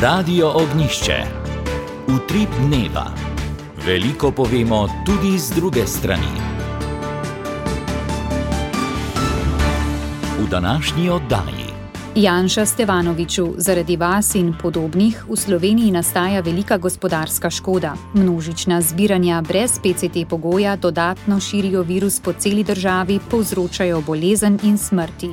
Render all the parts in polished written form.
Radio Ognjišče. Utrip dneva. Veliko povemo tudi z druge strani. V današnji oddaji. Janša Stevanoviću, zaradi vas in podobnih v Sloveniji nastaja velika gospodarska škoda. Množična zbiranja brez PCT pogoja dodatno širijo virus po celi državi, povzročajo bolezen in smrti.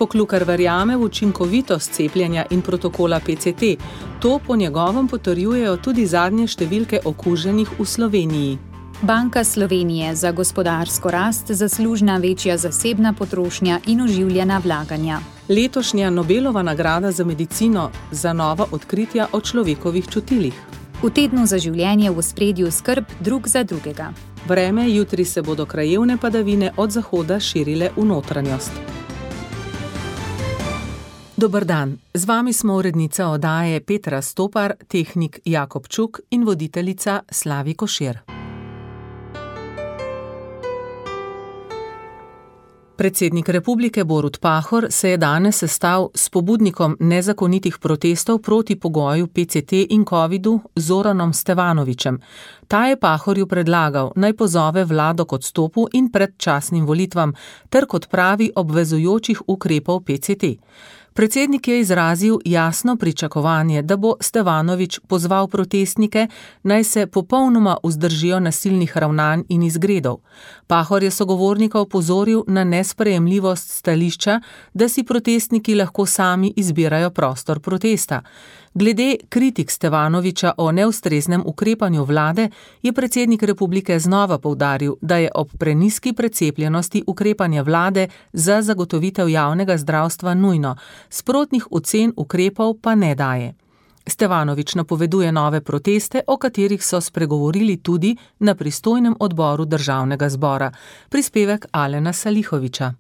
Poklukar verjame v učinkovitost cepljenja in protokola PCT. To po njegovem potrjujejo tudi zadnje številke okuženih v Sloveniji. Banka Slovenije, za gospodarsko rast zaslužna večja zasebna potrošnja in oživljena vlaganja. Letošnja Nobelova nagrada za medicino za nova odkritja o človekovih čutilih. V tednu za življenje v ospredju skrb drug za drugega. Vreme, jutri se bodo krajevne padavine od zahoda širile v notranjost. Dober dan, z vami smo urednica oddaje Petra Stopar, tehnik Jakob Čuk in voditeljica Slavi Košir. Predsednik republike Borut Pahor se je danes sestal s pobudnikom nezakonitih protestov proti pogoju PCT in covidu Zoranom Stevanovićem. Ta je Pahorju predlagal, naj pozove vlado k odstopu in predčasnim volitvam ter k odpravi obvezujočih ukrepov PCT. Predsednik je izrazil jasno pričakovanje, da bo Stevanović pozval protestnike, naj se popolnoma vzdržijo nasilnih ravnanj in izgredov. Pahor je sogovornika opozoril na nesprejemljivost stališča, da si protestniki lahko sami izbirajo prostor protesta. Glede kritik Stevanovića o neustreznem ukrepanju vlade je predsednik republike znova poudaril, da je ob prenizki precepljenosti ukrepanje vlade za zagotovitev javnega zdravstva nujno, sprotnih ocen ukrepov pa ne daje. Stevanović napoveduje nove proteste, o katerih so spregovorili tudi na pristojnem odboru državnega zbora. Prispevek Alena Salihovića.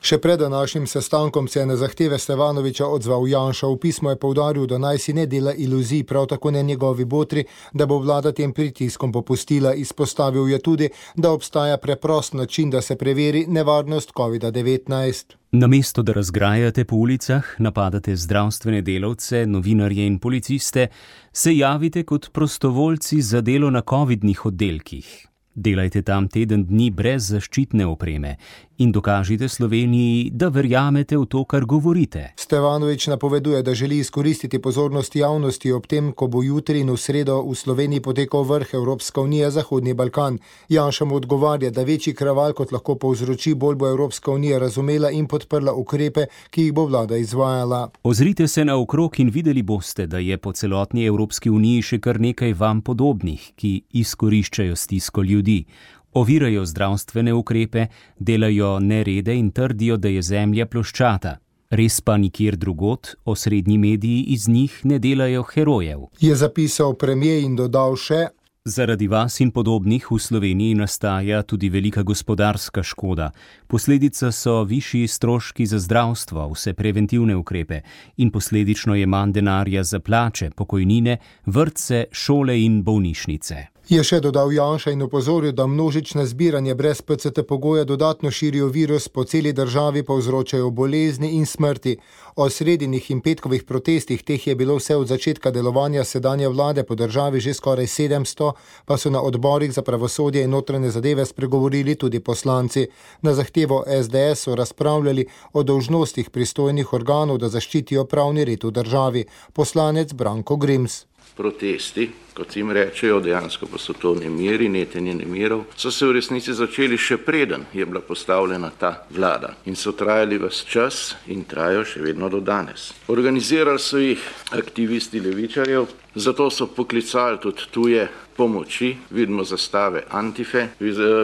Še pred današnjim sestankom se je na zahteve Stevanovića odzval Janša. V pismu je poudaril, da naj si ne dela iluzij, prav tako ne njegovi botri, da bo vlada tem pritiskom popustila. Izpostavil je tudi, da obstaja preprost način, da se preveri nevarnost COVID-19. Namesto da razgrajate po ulicah, napadate zdravstvene delavce, novinarje in policiste, se javite kot prostovoljci za delo na covidnih oddelkih. Delajte tam teden dni brez zaščitne opreme in dokažite Sloveniji, da verjamete v to, kar govorite. Stevanović napoveduje, da želi izkoristiti pozornost javnosti ob tem, ko bo jutri in v sredo v Sloveniji potekal vrh Evropska unija Zahodni Balkan. Janša mu odgovarja, da večji kraval kot lahko povzroči, bolj bo Evropska unija razumela in podprla ukrepe, ki jih bo vlada izvajala. Ozrite se naokrog in videli boste, da je po celotni Evropski uniji še kar nekaj vam podobnih, ki izkoriščajo stisko ljudi. Ovirajo zdravstvene ukrepe, delajo nerede in trdijo, da je zemlja ploščata. Res pa nikjer drugod osrednji mediji iz njih ne delajo herojev. Je zapisal premier in dodal še: Zaradi vas in podobnih v Sloveniji nastaja tudi velika gospodarska škoda. Posledica so višji stroški za zdravstvo, vse preventivne ukrepe in posledično je manj denarja za plače, pokojnine, vrtce, šole in bolnišnice. Je še dodal Janša in opozoril, da množične zbiranje brez PCT pogoja dodatno širijo virus po celi državi, povzročajo bolezni in smrti. O sredinih in petkovih protestih, teh je bilo vse od začetka delovanja sedanje vlade po državi že skoraj 700, pa so na odborih za pravosodje in notranje zadeve spregovorili tudi poslanci. Na zahtevo SDS so razpravljali o dolžnostih pristojnih organov, da zaščitijo pravni red v državi. Poslanec Branko Grims. Protesti, kot jim rečejo, dejansko pa so to nemiri, netenje nemirov, so se v resnici začeli še preden je bila postavljena ta vlada in so trajali ves čas in trajajo še vedno do danes. Organizirali so jih aktivisti levičarjev, zato so poklicali tudi tuje pomoči, vidimo zastave Antife,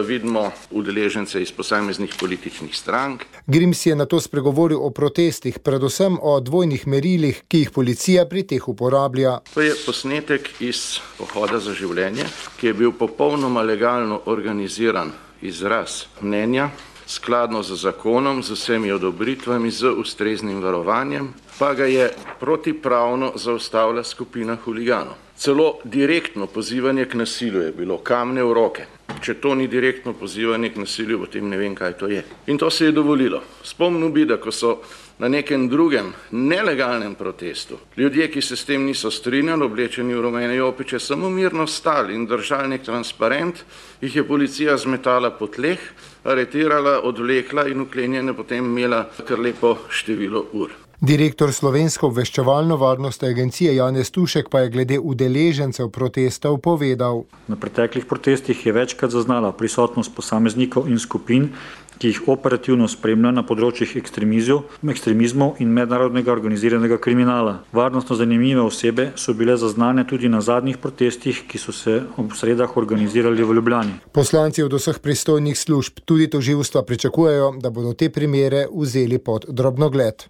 vidimo udeležence iz posameznih političnih strank. Grims je nato spregovoril o protestih, predvsem o dvojnih merilih, ki jih policija pri teh uporablja. To je posnetek iz Pohoda za življenje, ki je bil popolnoma legalno organiziran izraz mnenja, skladno z zakonom, z vsemi odobritvami, z ustreznim varovanjem, pa ga je protipravno zaustavila skupina huliganov. Celo direktno pozivanje k nasilju je bilo, kamne v roke. Če to ni direktno pozivanje k nasilju, potem ne vem, kaj to je. In to se je dovolilo. Spomnil bi, da ko so na nekem drugem nelegalnem protestu ljudje, ki se s tem niso strinjali, oblečeni v rumene jopiče, samo mirno stali in držali nek transparent, jih je policija zmetala po tleh, aretirala, odvlekla in vklenjene potem imela kar lepo število ur. Direktor Slovensko obveščevalno-varnostne agencije Janez Tušek pa je glede udeležencev protestov povedal. Na preteklih protestih je večkrat zaznala prisotnost posameznikov in skupin, ki jih operativno spremlja na področjih ekstremizmov in mednarodnega organiziranega kriminala. Varnostno zanimive osebe so bile zaznane tudi na zadnjih protestih, ki so se ob sredah organizirali v Ljubljani. Poslanci od vseh pristojnih služb, tudi tožilstva, pričakujejo, da bodo te primere vzeli pod drobnogled.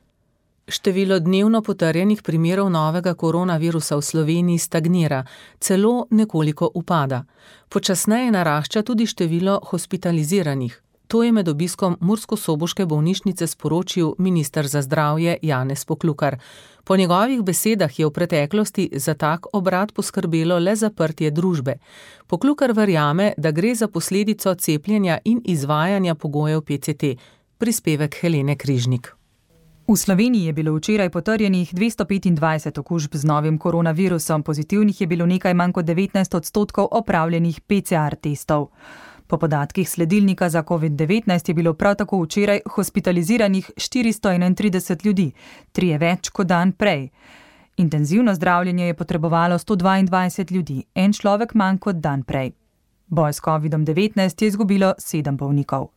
Število dnevno potrjenih primerov novega koronavirusa v Sloveniji stagnira, celo nekoliko upada. Počasneje narašča tudi število hospitaliziranih. To je med obiskom murskosoboške bolnišnice sporočil minister za zdravje Janez Poklukar. Po njegovih besedah je v preteklosti za tak obrat poskrbelo le zaprtje družbe. Poklukar verjame, da gre za posledico cepljenja in izvajanja pogojev PCT. Prispevek Helene Križnik. V Sloveniji je bilo včeraj potrjenih 225 okužb z novim koronavirusom, pozitivnih je bilo nekaj manj kot 19% opravljenih PCR testov. Po podatkih sledilnika za COVID-19 je bilo prav tako včeraj hospitaliziranih 431 ljudi, 3 več kot dan prej. Intenzivno zdravljenje je potrebovalo 122 ljudi, 1 človek manj kot dan prej. Boj s COVID-19 je izgubilo 7 bolnikov.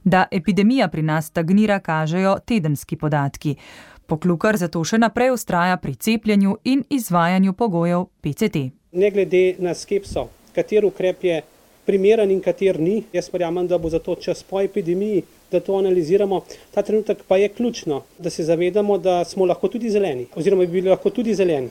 Da epidemija pri nas stagnira, kažejo tedenski podatki. Poklukar zato še naprej vztraja pri cepljenju in izvajanju pogojev PCT. Ne glede na skepso, kater ukrep je primeren in kater ni, jaz verjamem, da bo zato čas po epidemiji, da to analiziramo. Ta trenutek pa je ključno, da se zavedamo, da smo lahko tudi zeleni, oziroma bi bili lahko tudi zeleni,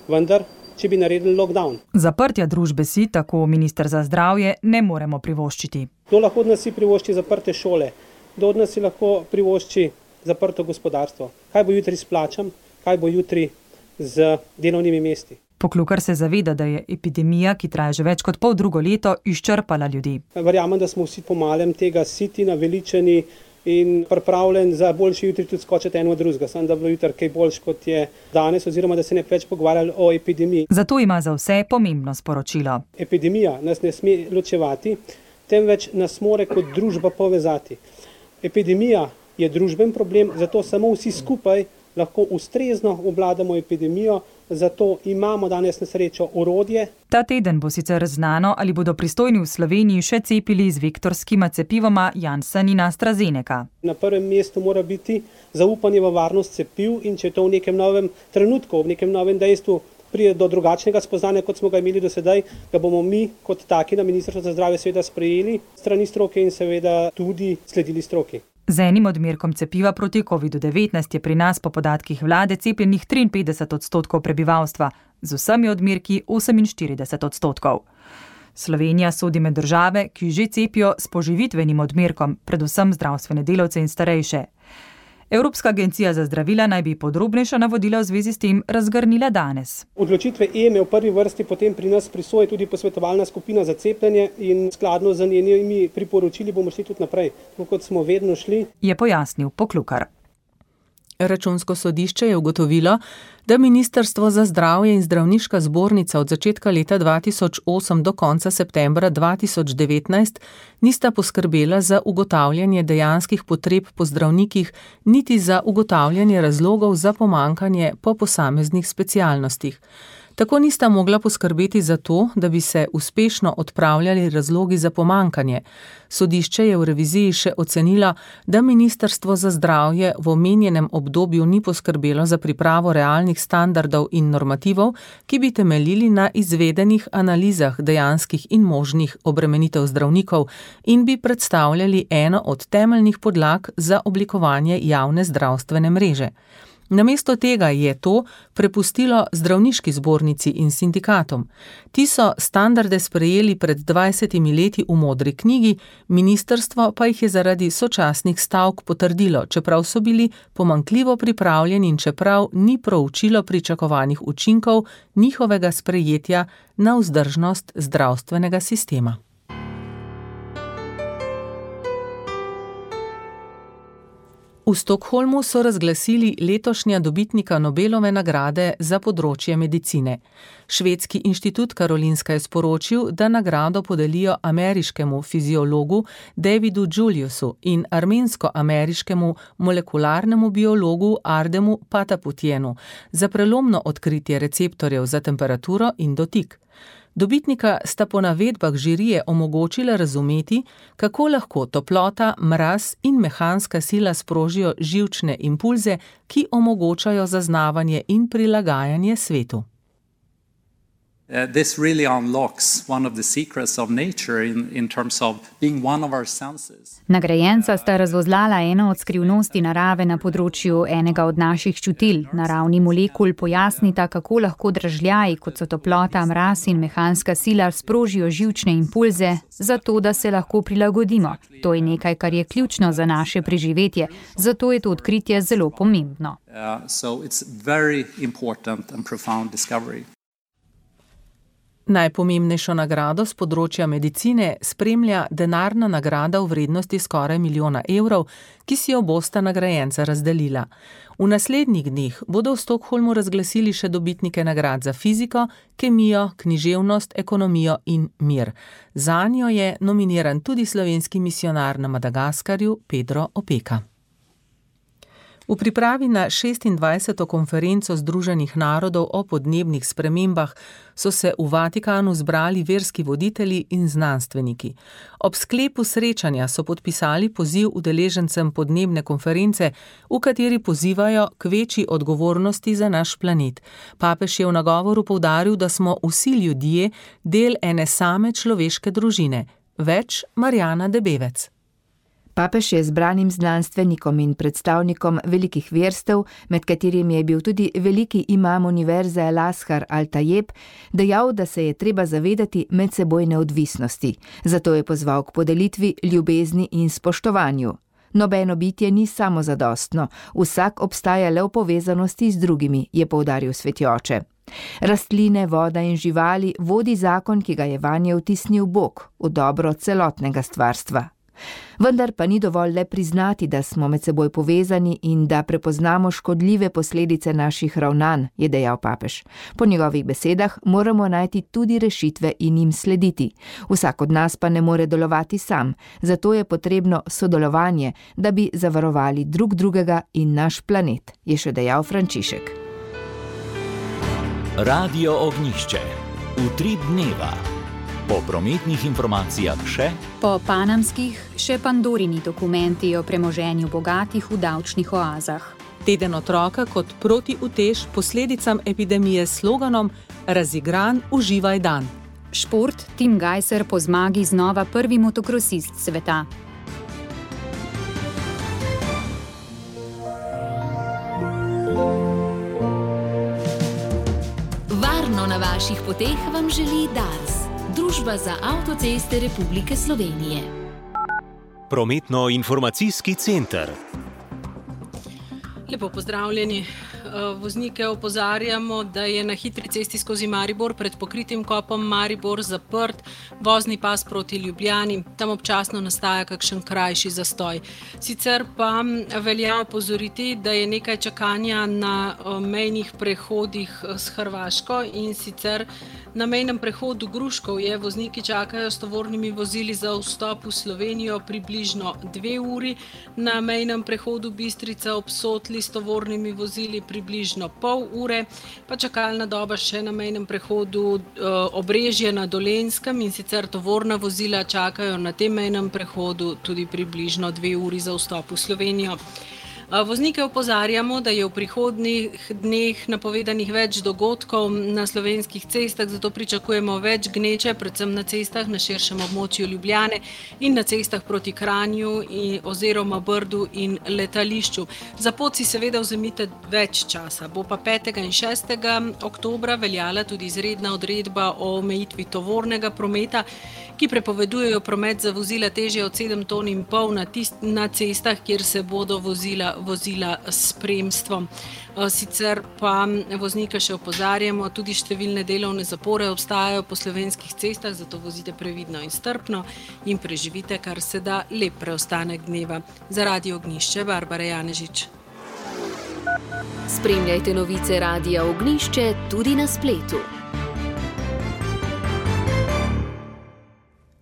vendar če bi naredili lockdown. Zaprtja družbe si, tako minister za zdravje, ne moremo privoščiti. Kdo lahko od nas si privošči zaprte šole? Kdo od nas si lahko privošči zaprto gospodarstvo? Kaj bo jutri s plačam? Kaj bo jutri z delovnimi mesti? Poklukar se zaveda, da je epidemija, ki traja že več kot poldrugo leto, izčrpala ljudi. Verjamem, da smo vsi po malem tega siti, naveličeni in pripravljen za boljši jutri tudi skočiti eno od drugega. Samo da bo jutri kaj boljš, kot je danes, oziroma da se ne več pogovarjali o epidemiji. Zato ima za vse pomembno sporočilo. Epidemija nas ne sme ločevati, temveč nas more kot družba povezati. Epidemija je družben problem, zato samo vsi skupaj lahko ustrezno obvladamo epidemijo, zato imamo danes na srečo orodje. Ta teden bo sicer znano, ali bodo pristojni v Sloveniji še cepili z vektorskima cepivoma Janssen in AstraZeneca. Na prvem mestu mora biti zaupanje v varnost cepiv in če to v nekem novem trenutku, v nekem novem dejstvu pride do drugačnega spoznanja, kot smo ga imeli do sedaj, ga bomo mi kot taki na Ministrstvu za zdravje seveda sprejeli strani stroke in seveda tudi sledili stroki. Z enim odmerkom cepiva proti COVID-19 je pri nas po podatkih vlade cepljenih 53% prebivalstva, z vsemi odmerki 48%. Slovenija sodi med države, ki že cepijo s poživitvenim odmerkom, predvsem zdravstvene delavce in starejše. Evropska agencija za zdravila naj bi podrobnejša navodila v zvezi s tem razgrnila danes. Odločitve EME v prvi vrsti potem pri nas prisoji tudi posvetovalna skupina za cepljenje in skladno z njenimi priporočili bomo šli tudi naprej, tako kot smo vedno šli. Je pojasnil Poklukar. Računsko sodišče je ugotovilo, da Ministrstvo za zdravje in zdravniška zbornica od začetka leta 2008 do konca septembra 2019 nista poskrbela za ugotavljanje dejanskih potreb po zdravnikih, niti za ugotavljanje razlogov za pomanjkanje po posameznih specialnostih. Tako nista mogla poskrbeti za to, da bi se uspešno odpravljali razlogi za pomanjkanje. Sodišče je v reviziji še ocenilo, da Ministrstvo za zdravje v omenjenem obdobju ni poskrbelo za pripravo realnih standardov in normativov, ki bi temeljili na izvedenih analizah dejanskih in možnih obremenitev zdravnikov in bi predstavljali eno od temeljnih podlag za oblikovanje javne zdravstvene mreže. Namesto tega je to prepustilo zdravniški zbornici in sindikatom. Ti so standarde sprejeli pred 20 leti v modri knjigi, ministrstvo pa jih je zaradi sočasnih stavk potrdilo, čeprav so bili pomanjkljivo pripravljeni in čeprav ni proučilo pričakovanih učinkov njihovega sprejetja na vzdržnost zdravstvenega sistema. V Stockholmu so razglasili letošnja dobitnika Nobelove nagrade za področje medicine. Švedski inštitut Karolinska je sporočil, da nagrado podelijo ameriškemu fiziologu Davidu Juliusu in armensko-ameriškemu molekularnemu biologu Ardemu Pataputienu za prelomno odkritje receptorjev za temperaturo in dotik. Dobitnika sta po navedbah žirije omogočila razumeti, kako lahko toplota, mraz in mehanska sila sprožijo živčne impulze, ki omogočajo zaznavanje in prilagajanje svetu. This really unlocks one of the secrets of nature in terms of being one of our senses. Nagrajenca sta razvozlala eno od skrivnosti narave na področju enega od naših čutil. Naravni molekul pojasnita, kako lahko dražljaji, kot so toplota, mraz in mehanska sila, sprožijo živčne impulze, zato da se lahko prilagodimo. To je nekaj, kar je ključno za naše preživetje, zato je to odkritje zelo pomembno. So it's very important and profound discovery. Najpomembnejšo nagrado z področja medicine spremlja denarna nagrada v vrednosti skoraj 1 milijona evrov, ki si jo bosta nagrajenca razdelila. V naslednjih dneh bodo v Stockholmu razglasili še dobitnike nagrad za fiziko, kemijo, književnost, ekonomijo in mir. Zanjo je nominiran tudi slovenski misijonar na Madagaskarju Pedro Opeka. V pripravi na 26. konferenco Združenih narodov o podnebnih spremembah so se v Vatikanu zbrali verski voditelji in znanstveniki. Ob sklepu srečanja so podpisali poziv udeležencem podnebne konference, v kateri pozivajo k večji odgovornosti za naš planet. Papež je v nagovoru poudaril, da smo vsi ljudje del ene same človeške družine. Več Marjana Debevec. Papež je zbranim znanstvenikom in predstavnikom velikih verstev, med katerimi je bil tudi veliki imam univerze Al-Azhar Al-Tajeb, dejal, da se je treba zavedati medsebojne odvisnosti. Zato je pozval k podelitvi, ljubezni in spoštovanju. Nobeno bitje ni samozadostno, vsak obstaja le v povezanosti z drugimi, je poudaril sveti oče. Rastline, voda in živali vodi zakon, ki ga je vanje vtisnil Bog, v dobro celotnega stvarstva. Vendar pa ni dovolj le priznati, da smo med seboj povezani in da prepoznamo škodljive posledice naših ravnanj, je dejal papež. Po njegovih besedah moramo najti tudi rešitve in jim slediti. Vsak od nas pa ne more delovati sam, zato je potrebno sodelovanje, da bi zavarovali drug drugega in naš planet, je še dejal Frančišek. Radio Ognjišče. Utrip dneva. Po prometnih informacijah še? Po panamskih še Pandorini dokumenti o premoženju bogatih v davčnih oazah. Teden otroka kot protiutež posledicam epidemije s sloganom Razigran, uživaj dan. Šport, Tim Gajser po zmagi znova prvi motokrosist sveta. Varno na vaših poteh vam želi Dars. Družba za avtoceste Republike Slovenije. Prometno-informacijski center. Lepo pozdravljeni. Voznike opozarjamo, da je na hitri cesti skozi Maribor pred pokritim kopom Maribor zaprt vozni pas proti Ljubljani. Tam občasno nastaja kakšen krajši zastoj. Sicer pa velja opozoriti, da je nekaj čakanja na mejnih prehodih s Hrvaško in sicer na mejnem prehodu Gruškovje vozniki čakajo s tovornimi vozili za vstop v Slovenijo približno 2 uri, na mejnem prehodu Bistrica ob Sotli s tovornimi vozili približno pol ure, pa čakalna doba še na mejnem prehodu Obrežje na Dolenjskem in sicer tovorna vozila čakajo na tem mejnem prehodu tudi približno 2 uri za vstop v Slovenijo. Voznike opozarjamo, da je v prihodnjih dneh napovedanih več dogodkov na slovenskih cestah, zato pričakujemo več gneče, predvsem na cestah na širšem območju Ljubljane in na cestah proti Kranju oziroma Brdu in letališču. Za pot si seveda vzemite več časa. Bo pa 5. in 6. oktobra veljala tudi izredna odredba o omejitvi tovornega prometa, ki prepovedujejo promet za vozila težje od 7,5 ton na cestah, kjer se bodo vozila vozila s spremstvom. Sicer pa voznike še opozarjamo, tudi številne delovne zapore obstajajo po slovenskih cestah, zato vozite previdno in strpno in preživite kar se da lep preostanek dneva. Za Radio Ognjišče, Barbara Janežič. Spremljajte novice Radia Ognjišče tudi na spletu.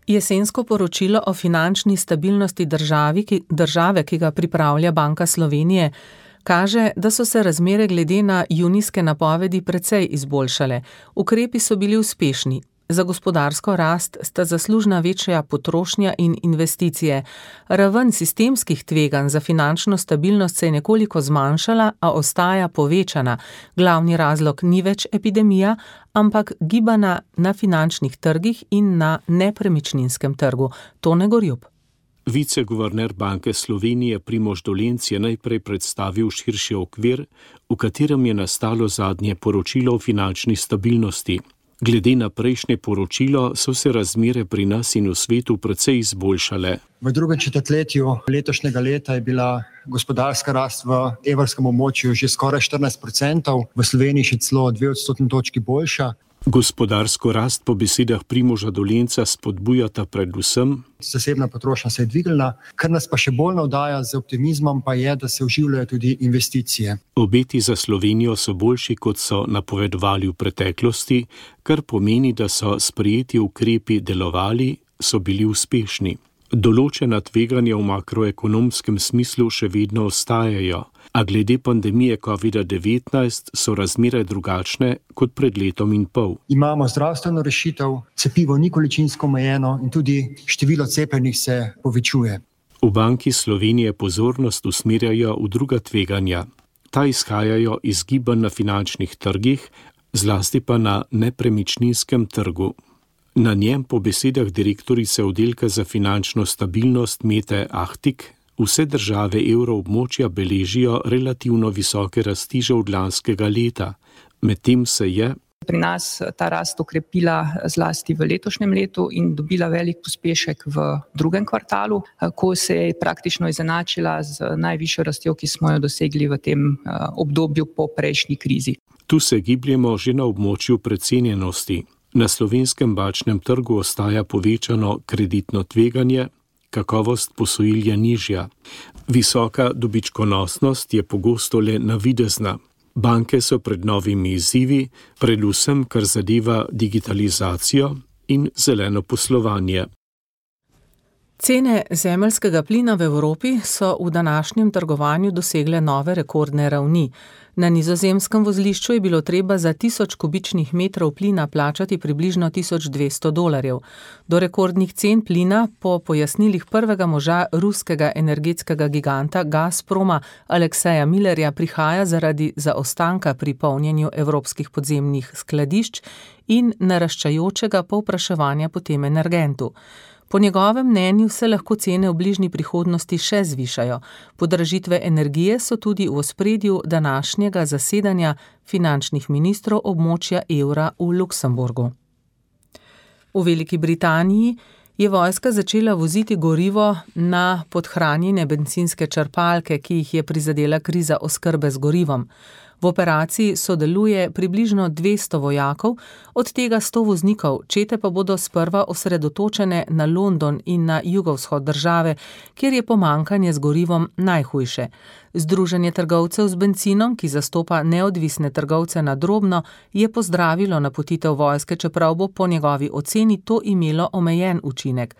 Jesensko poročilo o finančni stabilnosti države, ki ga pripravlja Banka Slovenije, kaže, da so se razmere glede na junijske napovedi precej izboljšale. Ukrepi so bili uspešni. Za gospodarsko rast sta zaslužna večja potrošnja in investicije. Raven sistemskih tveganj za finančno stabilnost se je nekoliko zmanjšala, a ostaja povečana. Glavni razlog ni več epidemija, ampak gibanja na finančnih trgih in na nepremičninskem trgu. Tone Gorjup. Viceguverner Banke Slovenije Primož Dolenc je najprej predstavil širši okvir, v katerem je nastalo zadnje poročilo o finančni stabilnosti. Glede na prejšnje poročilo so se razmere pri nas in v svetu precej izboljšale. V drugem četrtletju letošnjega leta je bila gospodarska rast v evrskem območju že skoraj 14%, v Sloveniji še celo 2 odstotni točki boljša. Gospodarsko rast po besedah Primoža Dolenca spodbujata predvsem zasebna potrošnja se je dvignila, kar nas pa še bolj navdaja z optimizmom pa je, da se oživljajo tudi investicije. Obeti za Slovenijo so boljši, kot so napovedovali v preteklosti, kar pomeni, da so sprejeti ukrepi delovali, so bili uspešni. Določena tveganja v makroekonomskem smislu še vedno ostajajo, a glede pandemije COVID-19 so razmere drugačne kot pred letom in pol. Imamo zdravstveno rešitev, cepivo ni količinsko omejeno in tudi število cepljenih se povečuje. V Banki Slovenije pozornost usmerjajo v druga tveganja. Ta izhajajo iz gibanj na finančnih trgih, zlasti pa na nepremičninskem trgu. Na njem po besedah direktorice oddelka za finančno stabilnost Mete Ahtik vse države evroobmočja beležijo relativno visoke rasti že od lanskega leta. Medtem se je pri nas ta rast okrepila zlasti v letošnjem letu in dobila velik pospešek v drugem kvartalu, ko se je praktično izenačila z najvišjo rastjo, ki smo jo dosegli v tem obdobju po prejšnji krizi. Tu se gibljemo že na območju precenjenosti. Na slovenskem bančnem trgu ostaja povečano kreditno tveganje, kakovost posojil je nižja. Visoka dobičkonosnost je pogosto le navidezna. Banke so pred novimi izzivi, predvsem kar zadeva digitalizacijo in zeleno poslovanje. Cene zemeljskega plina v Evropi so v današnjem trgovanju dosegle nove rekordne ravni. Na nizozemskem vozlišču je bilo treba za 1000 kubičnih metrov plina plačati približno $1200. Do rekordnih cen plina po pojasnilih prvega moža ruskega energetskega giganta Gazproma Alekseja Millerja prihaja zaradi zaostanka pri polnjenju evropskih podzemnih skladišč in naraščajočega povpraševanja po tem energentu. Po njegovem mnenju se lahko cene v bližnji prihodnosti še zvišajo. Podražitve energije so tudi v ospredju današnjega zasedanja finančnih ministrov območja evra v Luksemburgu. V Veliki Britaniji je vojska začela voziti gorivo na podhranjene bencinske črpalke, ki jih je prizadela kriza oskrbe z gorivom. V operaciji sodeluje približno 200 vojakov, od tega 100 voznikov, čete pa bodo sprva osredotočene na London in na jugovzhod države, kjer je pomanjkanje z gorivom najhujše. Združenje trgovcev z bencinom, ki zastopa neodvisne trgovce na drobno, je pozdravilo napotitev vojske, čeprav bo po njegovi oceni to imelo omejen učinek.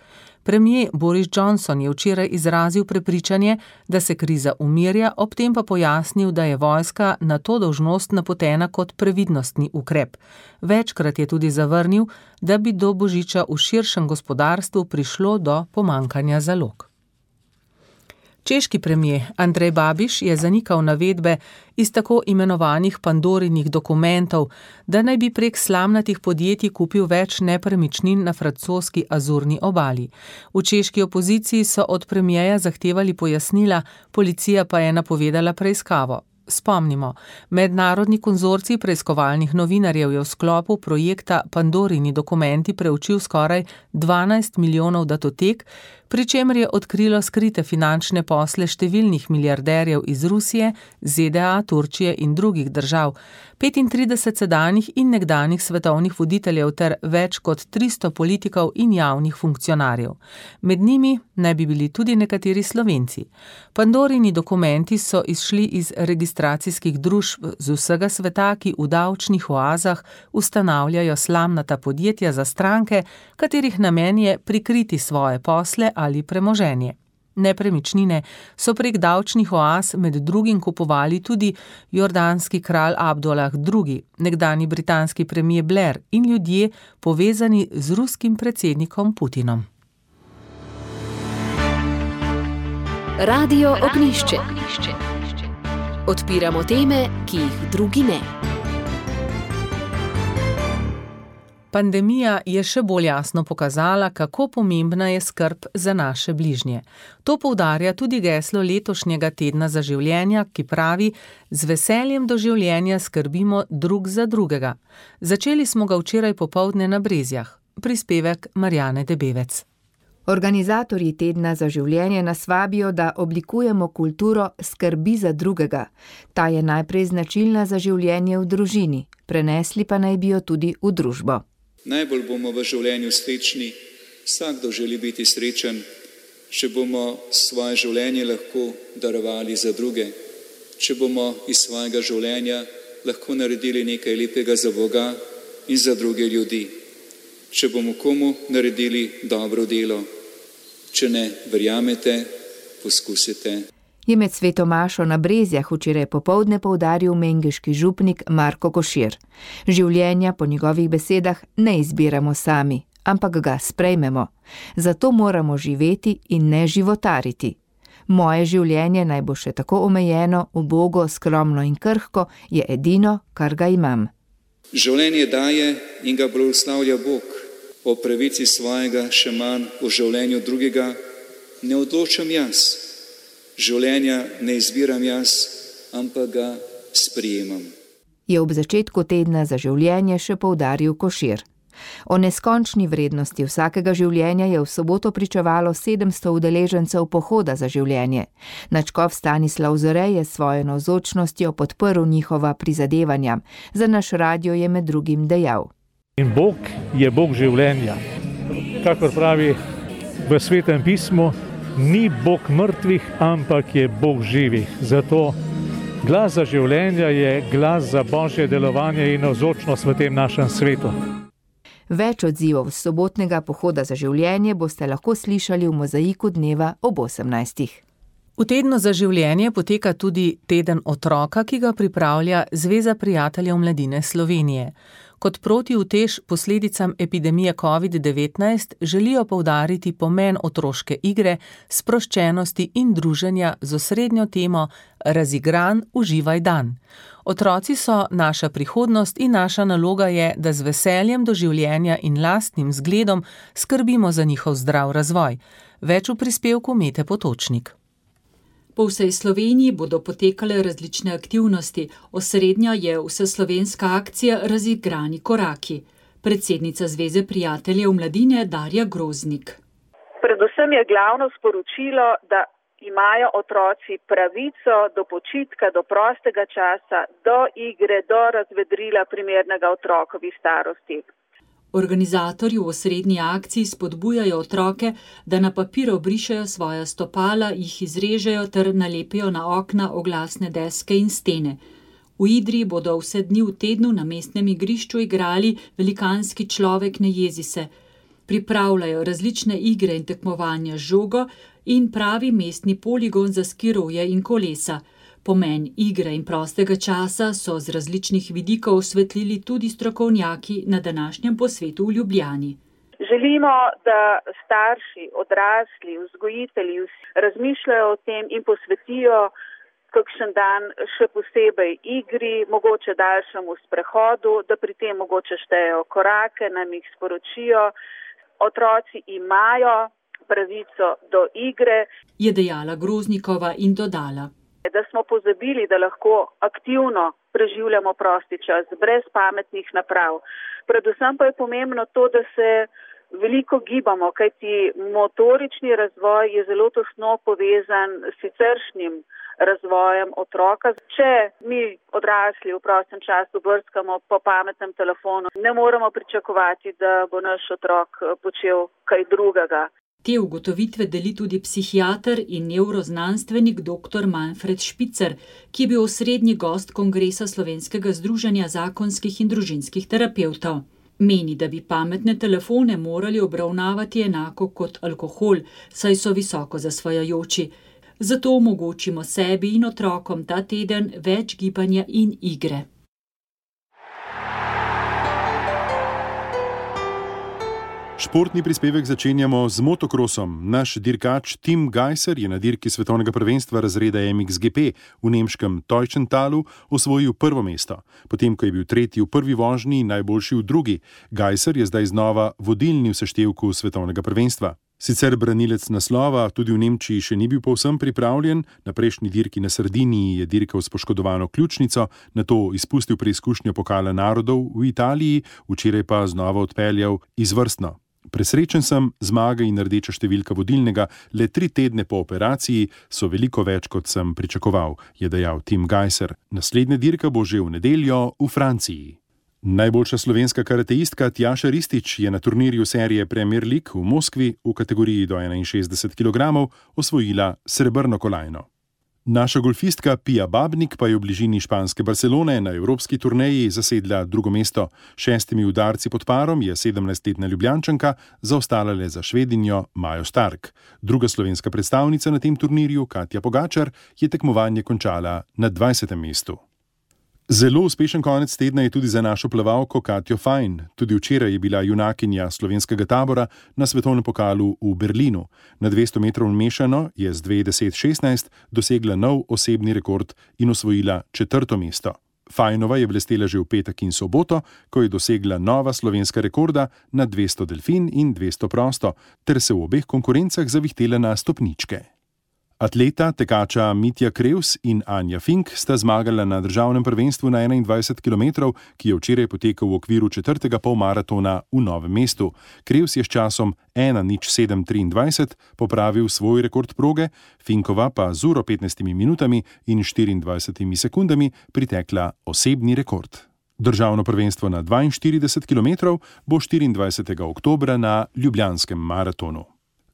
Premier Boris Johnson je včeraj izrazil prepričanje, da se kriza umirja, ob tem pa pojasnil, da je vojska na to dolžnost napotena kot previdnostni ukrep. Večkrat je tudi zavrnil, da bi do božiča v širšem gospodarstvu prišlo do pomanjkanja zalog. Češki premier Andrej Babiš je zanikal navedbe iz tako imenovanih Pandorinih dokumentov, da naj bi prek slamnatih podjetij kupil več nepremičnin na francoski Azurni obali. V češki opoziciji so od premierja zahtevali pojasnila, policija pa je napovedala preiskavo. Spomnimo, mednarodni konzorcij preiskovalnih novinarjev je v sklopu projekta Pandorini dokumenti preučil skoraj 12 milijonov datotek, pri čemer je odkrilo skrite finančne posle številnih milijarderjev iz Rusije, ZDA, Turčije in drugih držav, 35 sedanjih in nekdanjih svetovnih voditeljev ter več kot 300 politikov in javnih funkcionarjev. Med njimi naj bi bili tudi nekateri Slovenci. Pandorini dokumenti so izšli iz registracijskih družb z vsega sveta, ki v davčnih oazah ustanavljajo slamnata podjetja za stranke, katerih namen je prikriti svoje posle ali premoženje. Nepremičnine so prek davčnih oaz med drugim kupovali tudi jordanski kralj Abdullah II, nekdanji britanski premier Blair in ljudje povezani z ruskim predsednikom Putinom. Radio Ognjišče. Odpiramo teme, ki jih drugi ne. Pandemija je še bolj jasno pokazala, kako pomembna je skrb za naše bližnje. To poudarja tudi geslo letošnjega tedna za življenja, ki pravi: z veseljem do življenja skrbimo drug za drugega. Začeli smo ga včeraj popoldne na Brezjah. Prispevek Marjane Debevec. Organizatorji tedna za življenje nas vabijo, da oblikujemo kulturo skrbi za drugega. Ta je najprej značilna za življenje v družini, prenesli pa naj bi jo tudi v družbo. Najbolj bomo v življenju srečni, vsakdo želi biti srečen, če bomo svoje življenje lahko darovali za druge, če bomo iz svojega življenja lahko naredili nekaj lepega za Boga in za druge ljudi, če bomo komu naredili dobro delo. Če ne verjamete, poskusite. Je med sveto mašo na Brezjah včeraj popoldne poudaril mengeški župnik Marko Košir. Življenja po njegovih besedah ne izbiramo sami, ampak ga sprejmemo. Zato moramo živeti in ne životariti. Moje življenje naj bo še tako omejeno, ubogo, skromno in krhko, je edino, kar ga imam. Življenje daje in ga blagoslavlja Bog. O pravici svojega, še manj o življenju drugega, ne odločam jaz. Življenja ne izbiram jaz, ampak ga sprijemam. Je ob začetku tedna za življenje še poudaril Košir. O neskončni vrednosti vsakega življenja je v soboto pričevalo 700 udeležencev pohoda za življenje. Nadškof Stanislav Zore je s svojo navzočnostjo podprl njihova prizadevanja. Za naš radio je med drugim dejal: In Bog je Bog življenja. Kakor pravi v Svetem pismu, ni Bog mrtvih, ampak je Bog živih. Zato glas za življenja je glas za Božje delovanje in navzočnost v tem našem svetu. Več odzivov sobotnega pohoda za življenje boste lahko slišali v mozaiku dneva ob 18. V tednu za življenje poteka tudi teden otroka, ki ga pripravlja Zveza prijateljev mladine Slovenije. Kot protiutež posledicam epidemije COVID-19 želijo poudariti pomen otroške igre, sproščenosti in druženja z osrednjo temo Razigran, uživaj dan. Otroci so naša prihodnost in naša naloga je, da z veseljem do življenja in lastnim zgledom skrbimo za njihov zdrav razvoj. Več v prispevku Mete Potočnik. Po vsej Sloveniji bodo potekale različne aktivnosti. Osrednja je vseslovenska akcija Razigrani koraki. Predsednica Zveze prijateljev mladine Darja Groznik. Predvsem je glavno sporočilo, da imajo otroci pravico do počitka, do prostega časa, do igre, do razvedrila primernega otrokovi starosti. Organizatorji v osrednji akciji spodbujajo otroke, da na papir obrišejo svoja stopala, jih izrežejo ter nalepijo na okna oglasne deske in stene. V Idriji bodo vse dni v tednu na mestnem igrišču igrali Velikanski človek ne jezi se. Pripravljajo različne igre in tekmovanja z žogo in pravi mestni poligon za skiroje in kolesa. Pomen igre in prostega časa so z različnih vidikov osvetlili tudi strokovnjaki na današnjem posvetu v Ljubljani. Želimo, da starši, odrasli, vzgojitelji razmišljajo o tem in posvetijo kakšen dan še posebej igri, mogoče daljšemu sprehodu, da pri tem mogoče štejejo korake, nam jih sporočijo. Otroci imajo pravico do igre, je dejala Groznikova in dodala. Da smo pozabili, da lahko aktivno preživljamo prosti čas brez pametnih naprav. Predvsem pa je pomembno to, da se veliko gibamo, kajti motorični razvoj je zelo tesno povezan s siceršnjim razvojem otroka. Če mi odrasli v prostem času brskamo po pametnem telefonu, ne moremo pričakovati, da bo naš otrok počel kaj drugega. Te ugotovitve deli tudi psihiater in nevroznanstvenik dr. Manfred Špicer, ki je bil osrednji gost kongresa Slovenskega združenja zakonskih in družinskih terapevtov. Meni, da bi pametne telefone morali obravnavati enako kot alkohol, saj so visoko zasvajajoči. Zato omogočimo sebi in otrokom ta teden več gibanja in igre. Športni prispevek začenjamo z motokrosom. Naš dirkač Tim Gajser je na dirki svetovnega prvenstva razreda MXGP v nemškem Teutschentalu osvojil prvo mesto. Potem, ko je bil tretji v prvi vožnji in najboljši v drugi, Gajser je zdaj znova vodilni v seštevku svetovnega prvenstva. Sicer branilec naslova tudi v Nemčiji še ni bil povsem pripravljen, na prejšnji dirki na Sardiniji je dirkal s poškodovano ključnico, nato izpustil preizkušnjo Pokala narodov v Italiji, včeraj pa znova odpeljal izvrstno. Presrečen sem, zmaga in rdeča številka vodilnega le 3 tedne po operaciji so veliko več, kot sem pričakoval, je dejal Tim Gajser. Naslednja dirka bo že v nedeljo v Franciji. Najboljša slovenska karateistka Tjaša Ristić je na turnirju serije Premier League v Moskvi v kategoriji do 61 kg osvojila srebrno kolajno. Naša golfistka Pia Babnik pa je v bližini španske Barcelone na evropski turneji zasedla drugo mesto. 6 udarci pod parom je 17-letna Ljubljančanka zaostala le za Švedinjo Majo Stark. Druga slovenska predstavnica na tem turnirju, Katja Pogačar, je tekmovanje končala na 20. mestu. Zelo uspešen konec tedna je tudi za našo plavalko Katjo Fajn. Tudi včeraj je bila junakinja slovenskega tabora na svetovnem pokalu v Berlinu. Na 200 metrov mešano je z 2:10:16 dosegla nov osebni rekord in osvojila 4. mesto. Fajnova je blestela že v petek in soboto, ko je dosegla nova slovenska rekorda na 200 delfin in 200 prosto, ter se v obeh konkurencah zavihtela na stopničke. Atleta, tekača Mitja Krevs in Anja Fink sta zmagala na državnem prvenstvu na 21 km, ki je včeraj potekal v okviru 4. polmaratona v Novem mestu. Krevs je s časom 1:07:23 popravil svoj rekord proge, Finkova pa z uro 15 minutami in 24 sekundami pritekla osebni rekord. Državno prvenstvo na 42 km bo 24. oktobra na Ljubljanskem maratonu.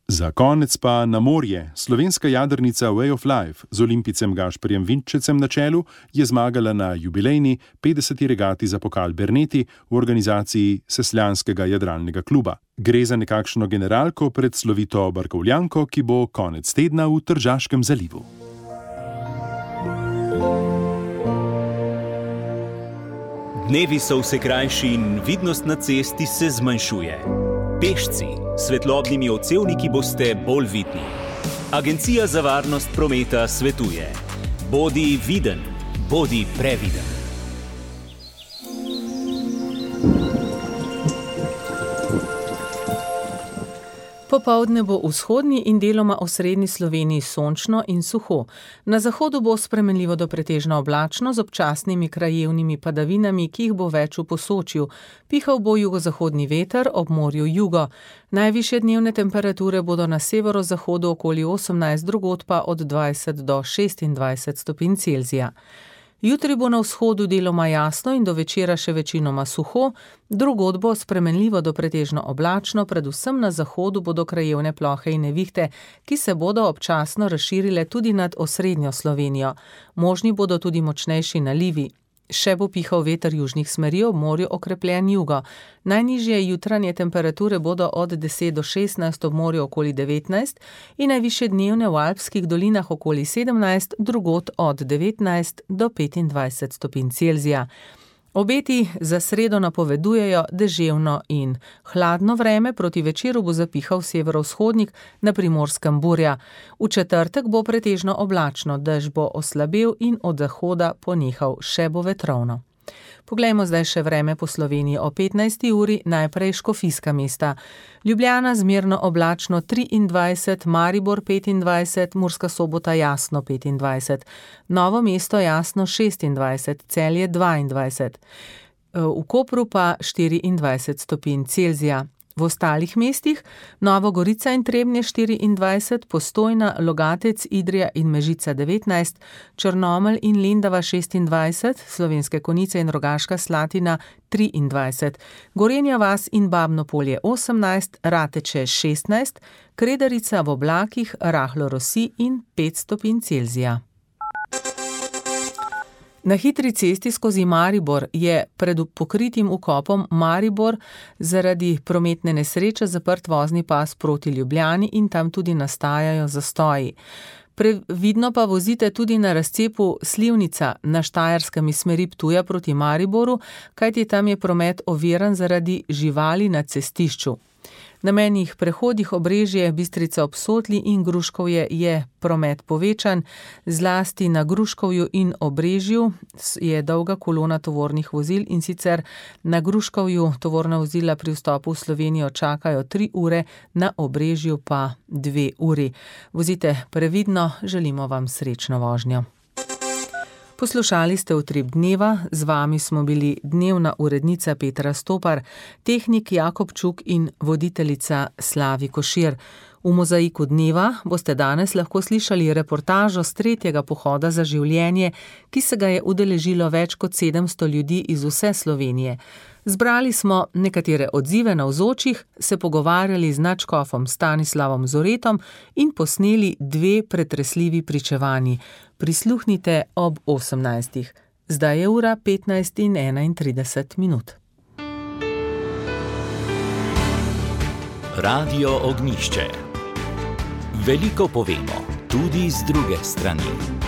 Za konec pa na morje. Slovenska jadrnica Way of Life z olimpijcem Gašperjem Vinčecem na čelu je zmagala na jubilejni 50. regati za pokal Berneti v organizaciji Sesljanskega jadralnega kluba. Gre za nekakšno generalko pred slovito barkovljanko, ki bo konec tedna v Tržaškem zalivu. Dnevi so vse krajši in vidnost na cesti se zmanjšuje. Pešci, svetlobnimi odsevniki boste bolj vidni. Agencija za varnost prometa svetuje: bodi viden, bodi previden. Popoldne bo v vzhodni in deloma osrednji Sloveniji sončno in suho. Na zahodu bo spremenljivo do pretežno oblačno z občasnimi krajevnimi padavinami, ki jih bo več v Posočju. Pihal bo jugozahodni veter, ob morju jugo. Najvišje dnevne temperature bodo na severozahodu okoli 18, drugod pa od 20 do 26 stopinj Celzija. Jutri bo na vzhodu deloma jasno in do večera še večinoma suho, drugod bo spremenljivo do pretežno oblačno, predvsem na zahodu bodo krajevne plohe in nevihte, ki se bodo občasno razširile tudi nad osrednjo Slovenijo. Možni bodo tudi močnejši nalivi. Še bo pihal veter južnih smeri, ob morju okrepljen jugo. Najnižje jutranje temperature bodo od 10 do 16, ob morju okoli 19 in najvišje dnevne v alpskih dolinah okoli 17, drugod od 19 do 25 stopinj Celzija. Obeti za sredo napovedujejo deževno in hladno vreme, proti večeru bo zapihal severovzhodnik, na Primorskem burja. V četrtek bo pretežno oblačno, dež bo oslabel in od zahoda ponehal, še bo vetrovno. Poglejmo zdaj še vreme po Sloveniji o 15. uri, najprej Škofijska mesta. Ljubljana zmerno oblačno 23, Maribor 25, Murska Sobota jasno 25, Novo mesto jasno 26, Celje 22, v Kopru pa 24 stopinj Celzija. V ostalih mestih Nova Gorica in Trebnje 24, Postojna, Logatec, Idrija in Mežica 19, Črnomelj in Lendava 26, Slovenske Konjice in Rogaška Slatina 23, Gorenja vas in Babno Polje 18, Rateče 16, Kredarica v oblakih, rahlo rosi in 5 stopinj Celzija. Na hitri cesti skozi Maribor je pred pokritim vkopom Maribor zaradi prometne nesreče zaprt vozni pas proti Ljubljani in tam tudi nastajajo zastoji. Previdno pa vozite tudi na razcepu Slivnica na Štajerskem iz smeri Ptuja proti Mariboru, kajti tam je promet oviran zaradi živali na cestišču. Na mejnih prehodih Obrežje, Bistrica ob Sotli in Gruškovje je promet povečan, zlasti na Gruškovju in Obrežju je dolga kolona tovornih vozil in sicer na Gruškovju tovorna vozila pri vstopu v Slovenijo čakajo 3 ure, na Obrežju pa 2 uri. Vozite previdno, želimo vam srečno vožnjo. Poslušali ste Utrip dneva, z vami smo bili dnevna urednica Petra Stopar, tehnik Jakob Čuk in voditeljica Slavi Košir. V Mozaiku dneva boste danes lahko slišali reportažo s 3. pohoda za življenje, ki se ga je udeležilo več kot 700 ljudi iz vse Slovenije. Zbrali smo nekatere odzive navzočih, se pogovarjali z nadškofom Stanislavom Zoretom in posneli 2 pretresljivi pričevanji. Prisluhnite ob 18. Zdaj je ura 15:31. Radio Ognjišče. Veliko povemo, tudi z druge strani.